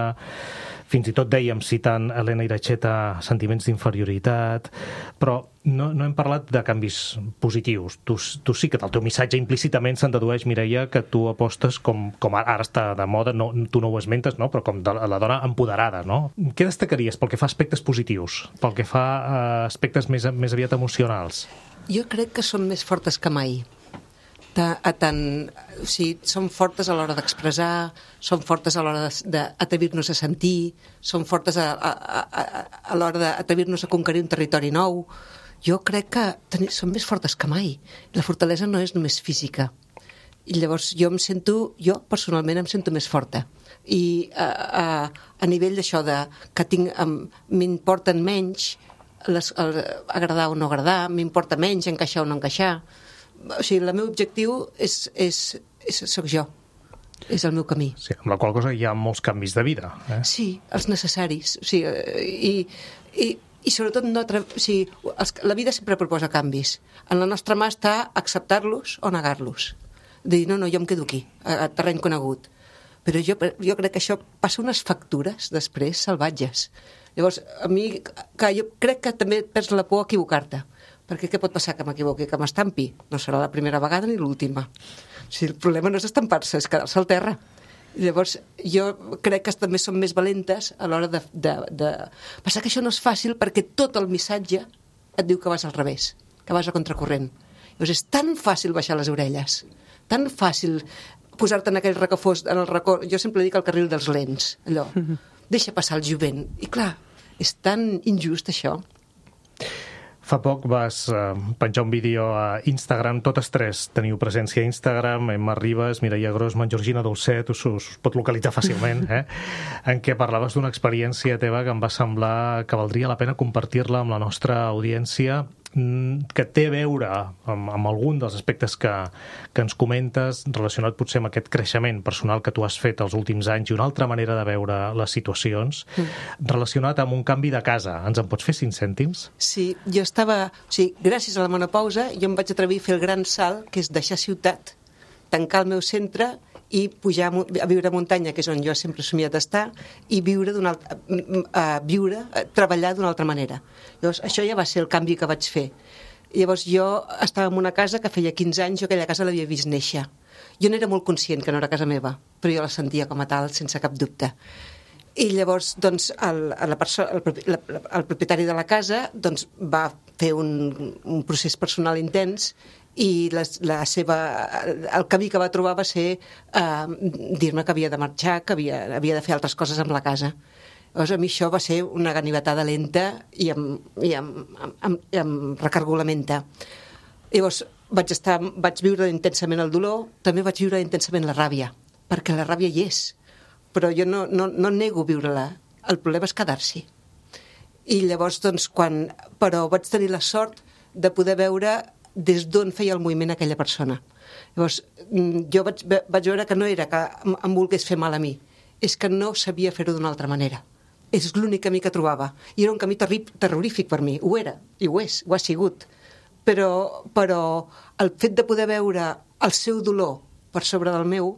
fins i tot dèiem, citant Elena Iracheta, sentiments d'inferioritat, però no hem parlat de canvis positius. Tu sí que del teu missatge implícitament se'n dedueix, Mireia, que tu apostes com ara està de moda, no, tu no ho esmentes, no? Però com de la dona empoderada, no? Què destacaries pel que fa a aspectes positius, pel que fa a aspectes més aviat emocionals? Jo crec que són més fortes que mai. Són fortes a l'hora d'expressar, són fortes a l'hora d'atrevir-nos a sentir, són fortes a l'hora d'atrevir-nos a conquerir un territori nou. Jo crec que són més fortes que mai. La fortalesa no és només física. I llavors jo personalment em sento més forta. I a nivell d'això que m'importen menys agradar o no agradar, m'importa menys encaixar o no encaixar. O sigui, el meu objectiu soc jo, és el meu camí. Sí, amb la qual cosa hi ha molts canvis de vida. Sí, els necessaris. O sigui, i sobretot la vida sempre proposa canvis. En la nostra mà està acceptar-los o negar-los. Dir, no, jo em quedo aquí, a terreny conegut. Però jo crec que això passa unes factures després salvatges. Llavors, jo crec que també perds la por a equivocar-te. Perquè què pot passar que m'equivoqui, que m'estampi? No serà la primera vegada ni l'última. O sigui, el problema no és estampar-se, és quedar-se al terra. Llavors, jo crec que també són més valentes a l'hora de... Passa que això no és fàcil perquè tot el missatge et diu que vas al revés, que vas a contracorrent. Llavors, és tan fàcil baixar les orelles, tan fàcil posar-te en aquell racó fos, en el racó... Jo sempre dic el carril dels lents, allò. Deixa passar el jovent. I clar, és tan injust això. Fa poc vas penjar un vídeo a Instagram, totes tres teniu presència a Instagram, Emma Ribas, Mireia Grossman, Georgina Dolcet, us pot localitzar fàcilment, en què parlaves d'una experiència teva que em va semblar que valdria la pena compartir-la amb la nostra audiència, que té a veure amb algun dels aspectes que ens comentes, relacionat potser amb aquest creixement personal que tu has fet els últims anys i una altra manera de veure les situacions, relacionat amb un canvi de casa. Ens en pots fer 5 cèntims? Sí, gràcies a la menopausa jo em vaig atrevir a fer el gran salt, que és deixar ciutat, tancar el meu centre i pujar a viure a muntanya, que és on jo sempre he somiat d'estar, i treballar d'una altra manera. Llavors, això ja va ser el canvi que vaig fer. Llavors, jo estava en una casa que feia 15 anys, jo aquella casa l'havia vist néixer. Jo n'era molt conscient que no era casa meva, però jo la sentia com a tal, sense cap dubte. I llavors, doncs, el propietari de la casa doncs, va fer un procés personal intens i el camí que va trobar va ser dir-me que havia de marxar, que havia de fer altres coses amb la casa. Llavors, a mi això va ser una ganivetada lenta i amb recargolamenta. Llavors, vaig viure intensament el dolor, també vaig viure intensament la ràbia, perquè la ràbia hi és, però jo no nego viure-la. El problema és quedar-s'hi. I llavors, doncs, però vaig tenir la sort de poder veure des d'on feia el moviment aquella persona. Llavors, jo vaig veure que no era que em volgués fer mal a mi, és que no sabia fer-ho d'una altra manera. És l'únic camí que trobava. I era un camí terrorífic per mi. Ho era, i ho és, ho ha sigut. Però el fet de poder veure el seu dolor per sobre del meu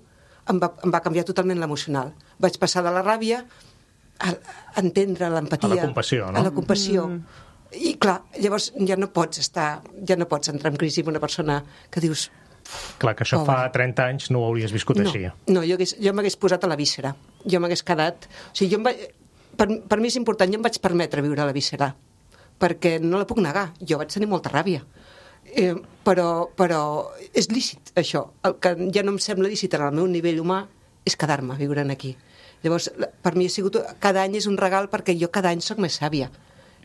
em va canviar totalment l'emocional. Vaig passar de la ràbia a entendre l'empatia. A la compassió, no? A la compassió. I clar, llavors ja no pots entrar en crisi amb una persona que dius... Clar, que això fa 30 anys no ho hauries viscut així. No, jo m'hagués posat a la víscera. Jo m'hagués quedat... O sigui, per mi és important, jo em vaig permetre viure a la víscera, perquè no la puc negar. Jo vaig tenir molta ràbia. Però és lícit, això. El que ja no em sembla lícit en el meu nivell humà és quedar-me viurant aquí. Llavors, per mi ha sigut... Cada any és un regal perquè jo cada any soc més sàvia.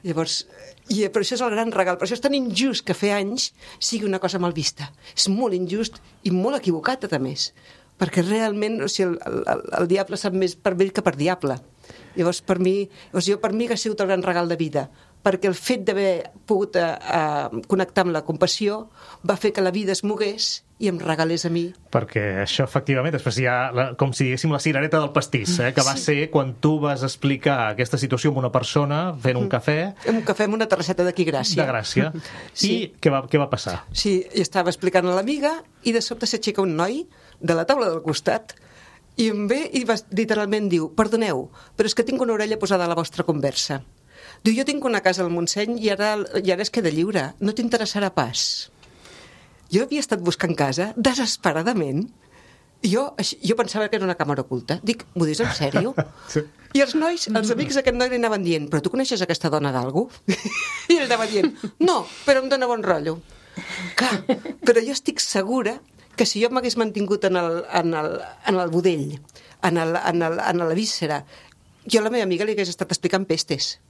Llavors, però això és el gran regal. Per això és tan injust que fer anys sigui una cosa mal vista. És molt injust i molt equivocat, a més. Perquè realment, o sigui, el diable sap més per vell que per diable. Llavors, per mi ha sigut el gran regal de vida. perquè el fet d'haver pogut connectar amb la compassió va fer que la vida es mogués i em regalés a mi. Perquè això, efectivament, després hi ha, com si diguéssim, la cirereta del pastís, que va ser quan tu vas explicar aquesta situació amb una persona fent un cafè. Un cafè amb una terrasseta d'aquí Gràcia. De Gràcia. Sí. I què va passar? Sí, i estava explicant a l'amiga i de sobte s'aixeca un noi de la taula del costat i em ve i literalment diu: perdoneu, però és que tinc una orella posada a la vostra conversa. Diu, jo tinc una casa al Montseny i ara es queda lliure, no t'interessarà pas. Jo havia estat buscant casa desesperadament. Jo pensava que era una càmera oculta. Dic, m'ho dius en sèrio? Sí. I els amics d'aquest noi li anaven dient: però tu coneixes aquesta dona d'algú? I ell anava dient: no, però em dóna bon rotllo. Clar, però jo estic segura que si jo m'hagués mantingut en el budell, en la víscera, jo a la meva amiga li hagués estat explicant pestes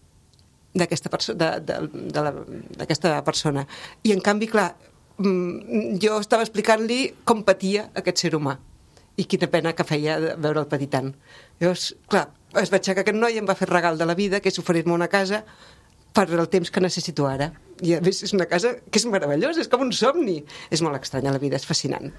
d'aquesta persona. I en canvi, clar, jo estava explicant-li com patia aquest ser humà i quina pena que feia veure'l patir tant. Llavors, clar, es va aixecar aquest noi i em va fer regal de la vida, que és oferir-me una casa per el temps que necessito ara. I a més és una casa que és meravellosa, és com un somni. És molt estranya la vida, és fascinant.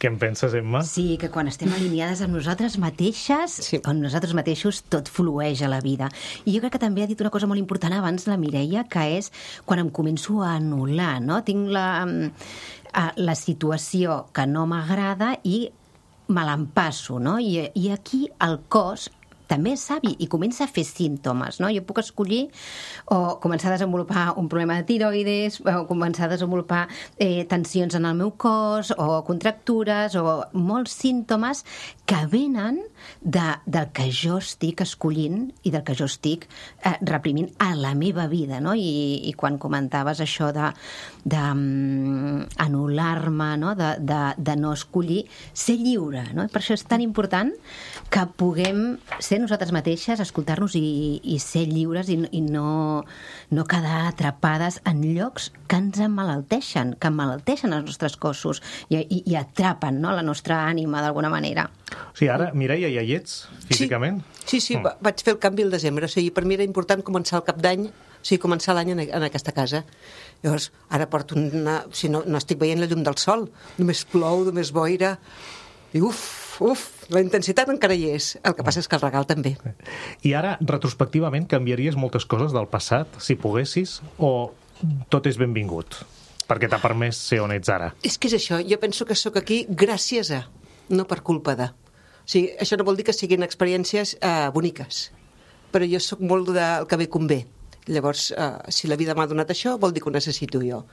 Què en penses, Emma? Sí, que quan estem alineades amb nosaltres mateixes, Sí. amb nosaltres mateixos, tot flueix a la vida. I jo crec que també ha dit una cosa molt important abans la Mireia, que és quan em començo a anul·lar, no? Tinc la situació que no m'agrada i me l'empasso, no? I aquí el cos també és savi i comença a fer símptomes, no? Jo puc escollir o començar a desenvolupar un problema de tiroides, o començar a desenvolupar tensions en el meu cos, o contractures, o molts símptomes que venen del que jo estic escollint i del que jo estic reprimint a la meva vida, no? I quan comentaves això d'anul·lar-me, no? De no escollir, ser lliure, no? Per això és tan important que puguem ser nosaltres mateixes, escoltar-nos i ser lliures i no quedar atrapades en llocs que ens emmalalteixen, que emmalalteixen els nostres cossos i atrapen, no? La nostra ànima d'alguna manera. O sigui, ara, Mireia, ja hi ets, físicament? Sí, vaig fer el canvi el desembre. O sigui, per mi era important començar el cap d'any, o sigui, començar l'any en aquesta casa. Llavors, ara porto si no estic veient la llum del sol, només plou, només boira, i la intensitat encara hi és. El que passa és que el regal també. I ara, retrospectivament, canviaries moltes coses del passat, si poguessis, o tot és benvingut? Perquè t'ha permès ser on ets ara. És que és això. Jo penso que sóc aquí gràcies a, no per culpa de. O sigui, això no vol dir que siguin experiències boniques, però jo sóc molt del que bé convé. Llavors, si la vida m'ha donat això, vol dir que ho necessito jo.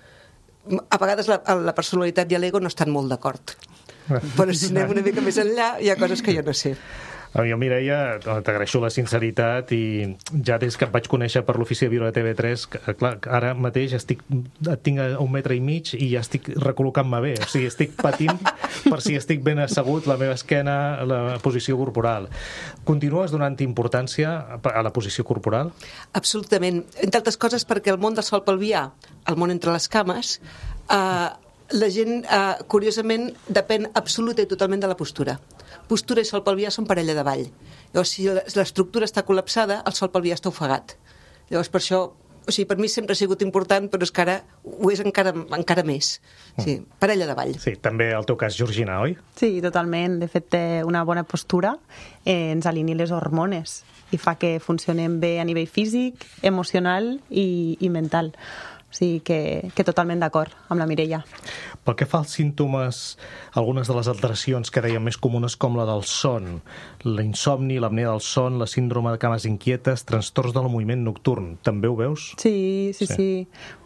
A vegades la personalitat i l'ego no estan molt d'acord. Però si anem una mica més enllà, hi ha coses que jo no sé. Jo, Mireia, t'agraeixo la sinceritat i ja des que et vaig conèixer per l'ofici de viure de TV3, clar, ara mateix tinc a 1,5 metres i ja estic recol·locant-me bé. O sigui, estic patint per si estic ben assegut, la meva esquena, la posició corporal. Continues donant importància a la posició corporal? Absolutament. Entre altres coses perquè el món del sol pelvià, el món entre les cames, la gent, curiosament, depèn absoluta i totalment de la postura. Postura i sol pelvià són parella de ball. Llavors, si l'estructura està col·lapsada, el sol pelvià està ofegat. Llavors, per això, o sigui, per mi sempre ha sigut important, però és que ara ho és encara més. Sí, parella de ball. Sí, també el teu cas, Georgina, oi? Sí, totalment. De fet, una bona postura ens alinea les hormones i fa que funcionem bé a nivell físic, emocional i mental. O sigui que totalment d'acord amb la Mireia. Pel que fa als símptomes, algunes de les alteracions que dèiem més comunes com la del son, l'insomni, l'apnea del son, la síndrome de cames inquietes, trastorns del moviment nocturn, també ho veus? Sí.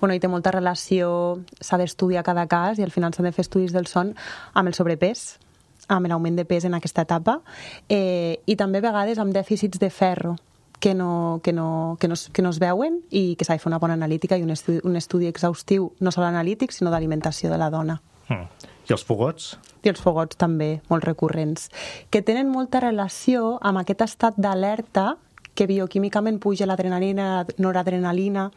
Bueno, hi té molta relació, s'ha d'estudiar cada cas i al final s'han de fer estudis del son amb el sobrepès, amb l'augment de pes en aquesta etapa i també a vegades amb dèficits de ferro que no es veuen i que s'ha de fer una bona analítica i un estudi exhaustiu, no sols analític, sinó d'alimentació de la dona. I els fogots? I els fogots també, molt recurrents, que tenen molta relació amb aquest estat d'alerta que bioquímicament puja l'adrenalina, noradrenalina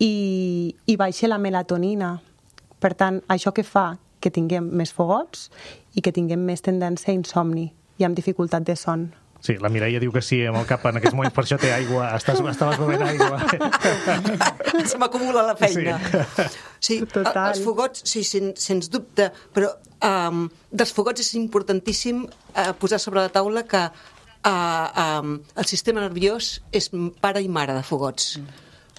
i baixa la melatonina. Per tant, això que fa que tinguem més fogots i que tinguem més tendència a insomni i amb dificultat de son. Sí, la Mireia diu que sí amb el cap en aquests moments, per això té aigua, estaves bevent aigua. Se m'acumula la feina. Sí, Total. els fogots, sí, sens dubte, però dels fogots és importantíssim posar sobre la taula que el sistema nerviós és pare i mare de fogots.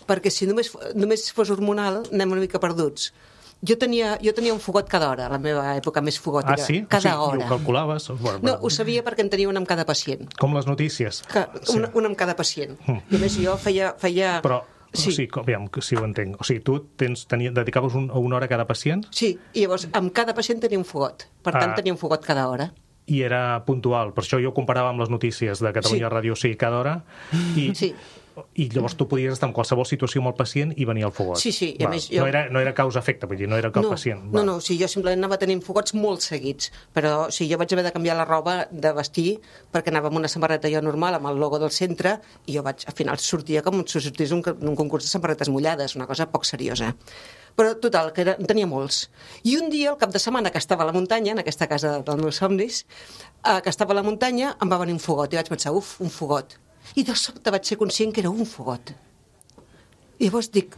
Perquè si només fos hormonal, anem una mica perduts. Jo tenia un fogot cada hora, a la meva època més fogòtica. Ah, sí? Cada I hora. ho calculaves? No, ho sabia perquè en tenia una amb cada pacient. Com les notícies. Una amb cada pacient. I a més jo feia... Però, Sí. o sigui, aviam, si ho entenc. O sigui, tu dedicaves una hora a cada pacient Sí, i llavors amb cada pacient tenia un fogot. Per tant, tenia un fogot cada hora. i era puntual. Per això jo ho comparava amb les notícies de Catalunya Ràdio, sí, cada hora. I llavors tu podies estar en qualsevol situació amb el pacient i venia el fogot. Sí, i a més jo... No era causa-efecte, vull dir, no era que el pacient... No, sí, jo simplement anava tenint fogots molt seguits, però sí, jo vaig haver de canviar la roba de vestir perquè anava amb una samarreta jo normal, amb el logo del centre, i jo al final sortia com si sortís un concurs de samarretes mullades, una cosa poc seriosa. Però, total, que en tenia molts. I un dia, el cap de setmana, que estava a la muntanya, en aquesta casa dels meus somnis, que estava a la muntanya, em va venir un fogot, i vaig pensar, un fogot. I de sobte vaig ser conscient que era un fogot. I llavors dic,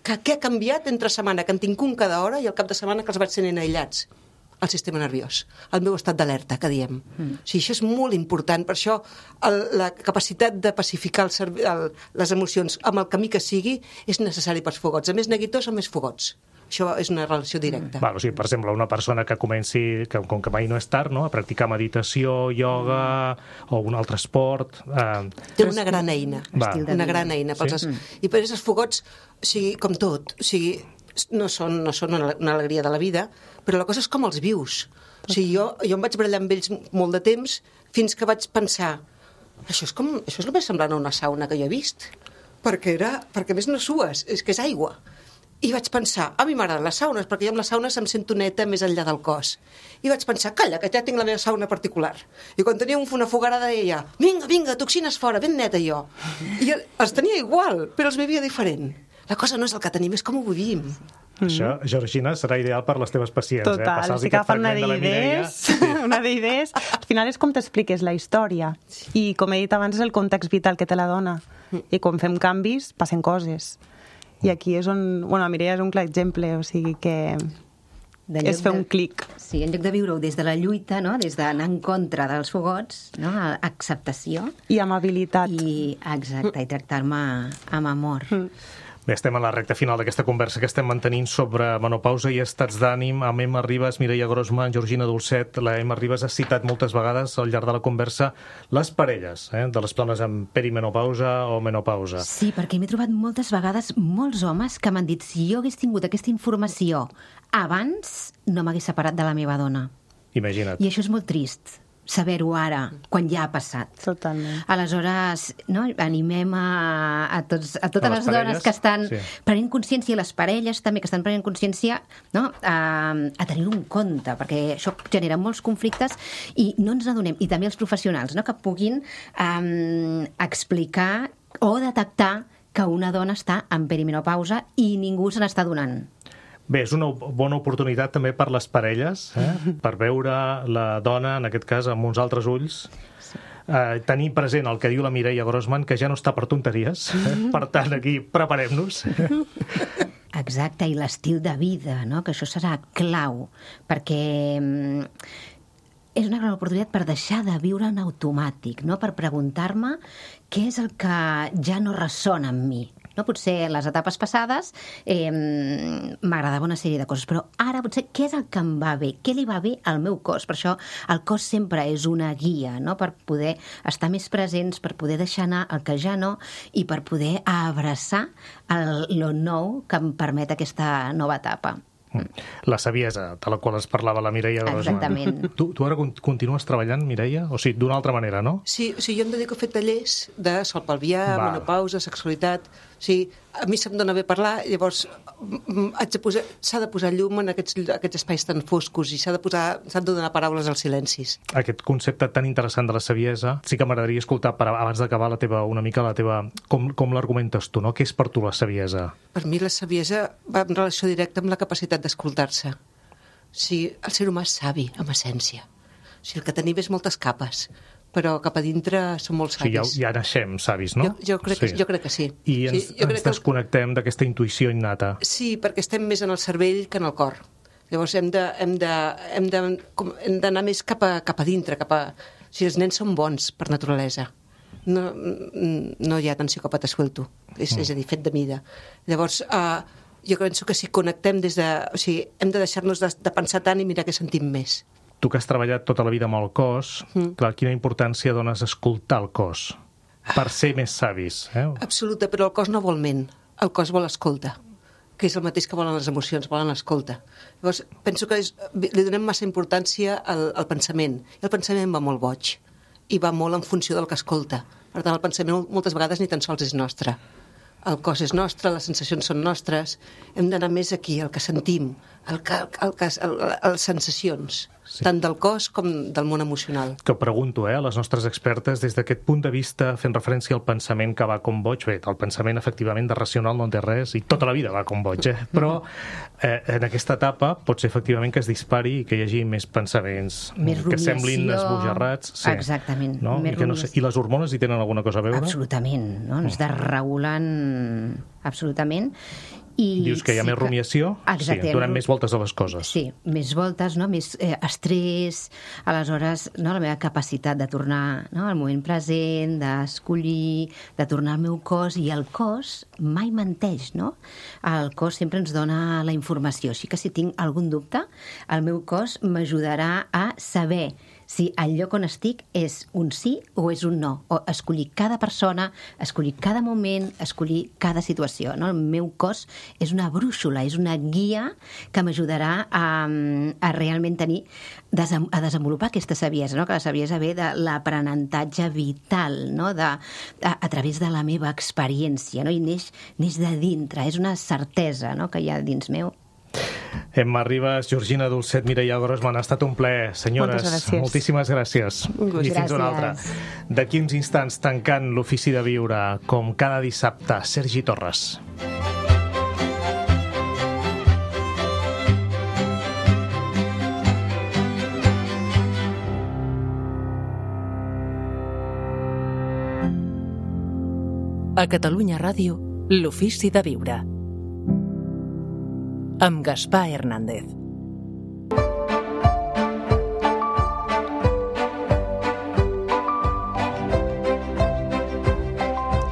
què ha canviat entre setmana, que en tinc un cada hora, i el cap de setmana que els vaig tenint aïllats? El sistema nerviós, el meu estat d'alerta, que diem. O sigui, això és molt important, per això la capacitat de pacificar les emocions amb el camí que sigui és necessari pels fogots. A més neguitós, a més fogots. Això és una relació directa. O sigui, per exemple, una persona que comenci, com que mai no és tard, no? A practicar meditació, ioga o un altre esport... Té una gran eina. Una gran eina. I per això els fogots, com tot, no són una alegria de la vida, però la cosa és com els vius. O sigui, jo em vaig barallar amb ells molt de temps fins que vaig pensar això és el més semblant a una sauna que jo he vist, perquè a més no sues, és que és aigua. I vaig pensar, a mi m'agraden les saunes, perquè jo amb les saunes em sento neta més enllà del cos. I vaig pensar, calla, que ja tinc la meva sauna particular. I quan tenia una fogarada deia, vinga, toxines fora, ben neta jo. I els tenia igual, però els vivia diferent. La cosa no és el que tenim, és com ho vivim. Això, Georgina, serà ideal per les teves pacients. Total, estic agafant una d'idees. Al final és com t'expliques la història. I com he dit abans, és el context vital que te la dona. I quan fem canvis, passen coses. I aquí és on... Bueno, la Mireia és un clar exemple, o sigui que... és fer un clic. Sí, en lloc de viure-ho des de la lluita, no? Des d'anar en contra dels fogots, no? Acceptació. I amabilitat. Exacte, i tractar-me amb amor. Bé, estem a la recta final d'aquesta conversa que estem mantenint sobre menopausa i estats d'ànim amb Emma Ribas, Mireia Grossman, Georgina Dolcet. La Emma Ribas ha citat moltes vegades al llarg de la conversa les parelles de les dones amb perimenopausa o menopausa. Sí, perquè m'he trobat moltes vegades molts homes que m'han dit si jo hagués tingut aquesta informació abans, no m'hagués separat de la meva dona. Imagina't. I això és molt trist, saber-ho ara, quan ja ha passat. Totalment. Aleshores, no, animem a totes les dones que estan prenent consciència, i les parelles també que estan prenent consciència, no, a tenir-ho en compte, perquè això genera molts conflictes i no ens adonem, i també els professionals, no, que puguin explicar o detectar que una dona està en perimenopausa i ningú se n'està donant. Bé, és una bona oportunitat també per les parelles, per veure la dona, en aquest cas, amb uns altres ulls, tenir present el que diu la Mireia Grossman, que ja no està per tonteries, per tant, aquí preparem-nos. Exacte, i l'estil de vida, no? Que això serà clau, perquè és una gran oportunitat per deixar de viure en automàtic, no? Per preguntar-me què és el que ja no ressona amb mi. No? Potser en les etapes passades m'agradava una sèrie de coses, però ara potser què és el que em va bé? Què li va bé al meu cos? Per això el cos sempre és una guia, no? Per poder estar més presents, per poder deixar anar el que ja no i per poder abraçar lo nou que em permet aquesta nova etapa. La saviesa de la qual es parlava la Mireia Grossman. Exactament. Tu ara continues treballant, Mireia? O sigui, d'una altra manera, no? Sí, jo em dedico a fer tallers de sol pelvià, menopausa, sexualitat. O sigui, a mi se'm dona bé parlar, llavors s'ha de posar llum en aquests espais tan foscos i s'han de donar paraules als silencis. Aquest concepte tan interessant de la saviesa, sí que m'agradaria escoltar, abans d'acabar una mica la teva... Com l'argumentes tu, no? Què és per tu la saviesa? Per mi la saviesa va en relació directa amb la capacitat d'escoltar-se. O sigui, el ser humà és savi, amb essència. O sigui, el que tenim és moltes capes, però cap a dintre som molt O sigui, savis. ja naixem savis, no? Jo crec que sí. I ens desconnectem d'aquesta intuïció innata. Sí, perquè estem més en el cervell que en el cor. Llavors hem d'anar més cap a dintre, O sigui, els nens són bons per naturalesa. No hi ha tant psicòpata suelto, és a dir, fet de mida. Llavors, jo penso que si connectem des de... O sigui, hem de deixar-nos de pensar tant i mirar què sentim més. Tu que has treballat tota la vida amb el cos, clar, quina importància dones a escoltar el cos per ser més savis, eh? Absoluta, però el cos no vol ment, el cos vol escolta, que és el mateix que volen les emocions, volen escolta. Llavors, penso que li donem massa importància al pensament, i el pensament va molt boig, i va molt en funció del que escolta. Per tant, el pensament moltes vegades ni tan sols és nostre. El cos és nostre, les sensacions són nostres, hem d'anar més aquí, el que sentim, les sensacions, tant del cos com del món emocional. Que pregunto, a les nostres expertes, des d'aquest punt de vista, fent referència al pensament que va com boig, bé, el pensament efectivament de racional no en té res, i tota la vida va com boig, però en aquesta etapa pot ser efectivament que es dispari i que hi hagi més pensaments més que semblin esbojarrats. Sí. Exactament, no? més rumiació. I les hormones hi tenen alguna cosa a veure? Absolutament, no? Ens desregulen absolutament. I dius que hi ha més rumiació? Exacte. Sí, donem més voltes a les coses. Sí, més voltes, no? Més estrès, aleshores no? La meva capacitat de tornar al moment present, d'escollir, de tornar al meu cos, i el cos mai menteix, no? El cos sempre ens dona la informació, així que si tinc algun dubte, el meu cos m'ajudarà a saber si el lloc on estic és un sí o és un no, o escollir cada persona, escollir cada moment, escollir cada situació, no? El meu cos és una brúixola, és una guia que m'ajudarà a realment a desenvolupar aquesta saviesa, no? Que la saviesa ve de l'aprenentatge vital, no? A través de la meva experiència, no? I neix de dintre, és una certesa, no? Que hi ha dins meu. Emma Ribas, Georgina Dulcet, Mireia Grossman, ha estat un plaer. Senyores, moltíssimes gràcies. I fins una altra. D'aquí uns instants, tancant l'Ofici de Viure, com cada dissabte, Sergi Torres. A Catalunya Ràdio, l'Ofici de Viure, amb Gaspar Hernández.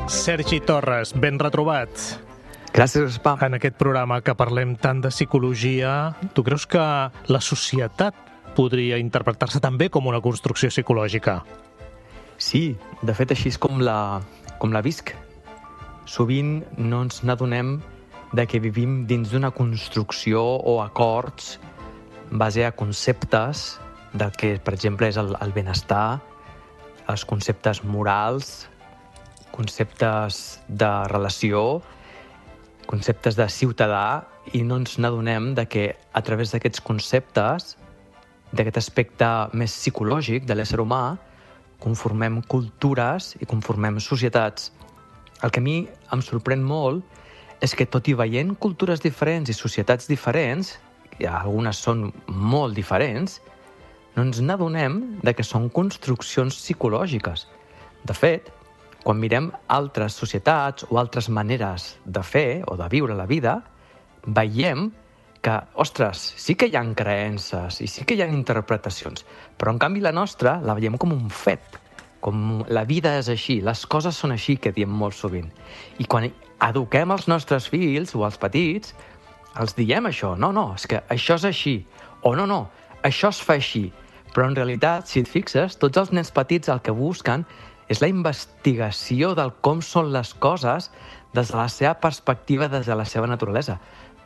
Sergi Torres, ben retrobat. Gràcies, Gaspar. En aquest programa que parlem tant de psicologia, tu creus que la societat podria interpretar-se també com una construcció psicològica? Sí, de fet així és com la visc. Sovint no ens n'adonem de que vivim dins d'una construcció o acords en base a conceptes del que, per exemple, és el benestar, els conceptes morals, conceptes de relació, conceptes de ciutadà, i no ens n'adonem de que a través d'aquests conceptes, d'aquest aspecte més psicològic de l'ésser humà, conformem cultures i conformem societats. El que a mi em sorprèn molt és que, tot i veient cultures diferents i societats diferents, i algunes són molt diferents, no ens n'adonem de que són construccions psicològiques. De fet, quan mirem altres societats o altres maneres de fer o de viure la vida, veiem que, ostres, sí que hi ha creences i sí que hi ha interpretacions, però en canvi la nostra la veiem com un fet, com la vida és així, les coses són així, que diem molt sovint. I quan eduquem els nostres fills o els petits, els diem això, no, és que això és així, o no, això es fa així. Però en realitat, si et fixes, tots els nens petits el que busquen és la investigació del com són les coses des de la seva perspectiva, des de la seva naturalesa.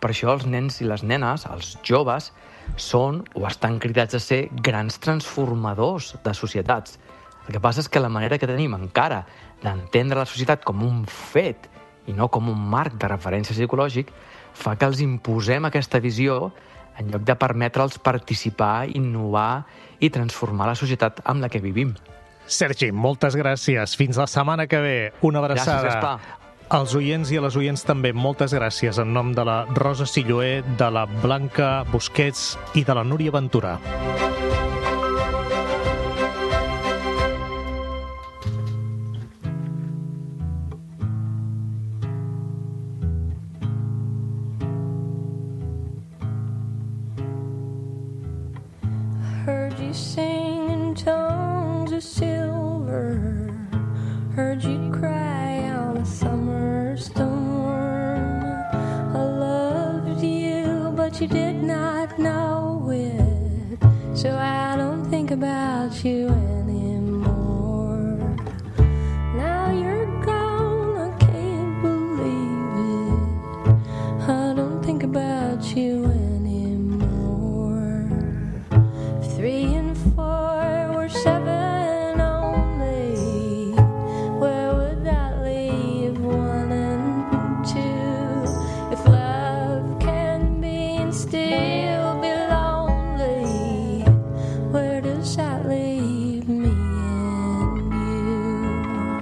Per això els nens i les nenes, els joves, són o estan cridats a ser grans transformadors de societats. El que passa és que la manera que tenim encara d'entendre la societat com un fet i no com un marc de referència psicològic fa que els imposem aquesta visió en lloc de permetre'ls participar, innovar i transformar la societat amb la que vivim. Sergi, moltes gràcies. Fins la setmana que ve. Una abraçada. Gràcies, Gaspar. Als oients i a les oients també, moltes gràcies en nom de la Rosa Silloé, de la Blanca Busquets i de la Núria Ventura. heard you cry on a summer storm. I loved you, but you did not know it, so I don't think about you anymore. Now you're gone, I can't believe it. I don't think about you anymore. 3 and 4 were 7 only. Where would that leave 1 and 2? If love can be and still be lonely, where does that leave me and you?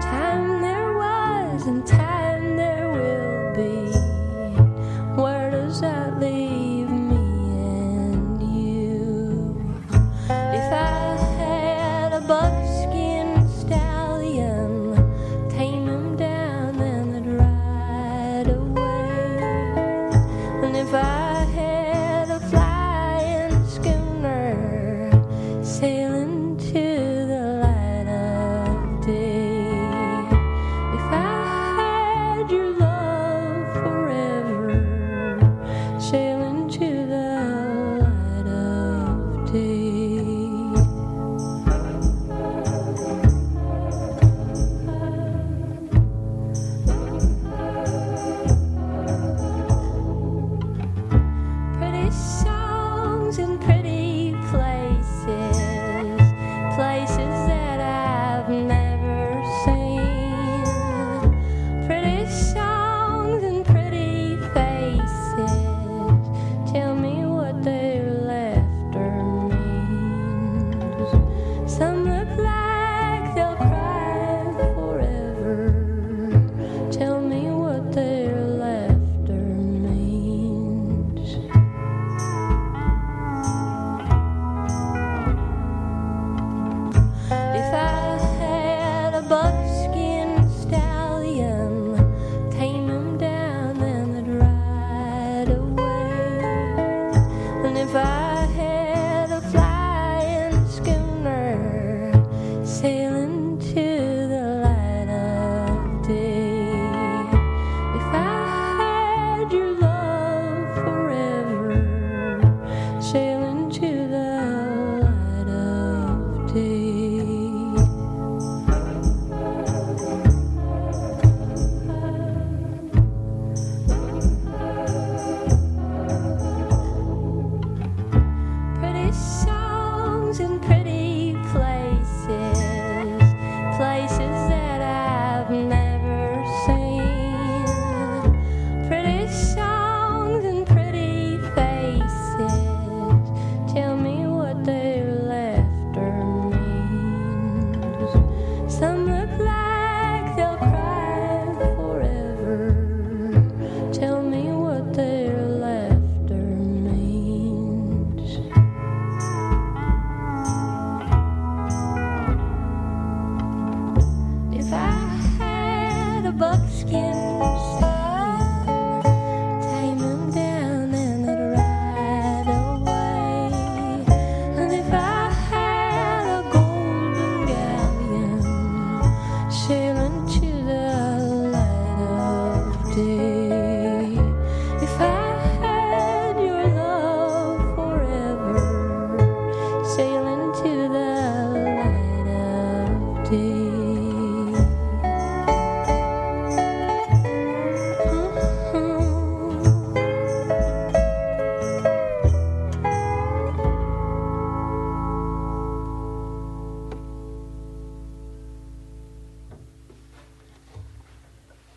Time there was and time there will be. Where does that leave me and you? If I had a buckskin stallion, tame him down and I'd ride away. And if I had a flying schooner, sailing to the light of day. If I had your love forever, sailing to the light of day. Pretty songs and pretty places, places that I've never seen. Pretty songs and pretty faces, tell me what their laughter means. Some look like they'll cry forever, tell me what their laughter means. If I had a buckskin stallion, tame him down and I'd ride away. And if I had a flying schooner, sailing to the light of day. If I had your love forever, sailing to the light of day. Pretty songs and pretty places, places that I've never seen. Pretty songs and pretty faces, tell me what their laughter means. Some look like they'll cry forever, tell me what their laughter means. If I had a buckskin stallion, tame him down and I'd ride away. And if I had a golden galleon, sail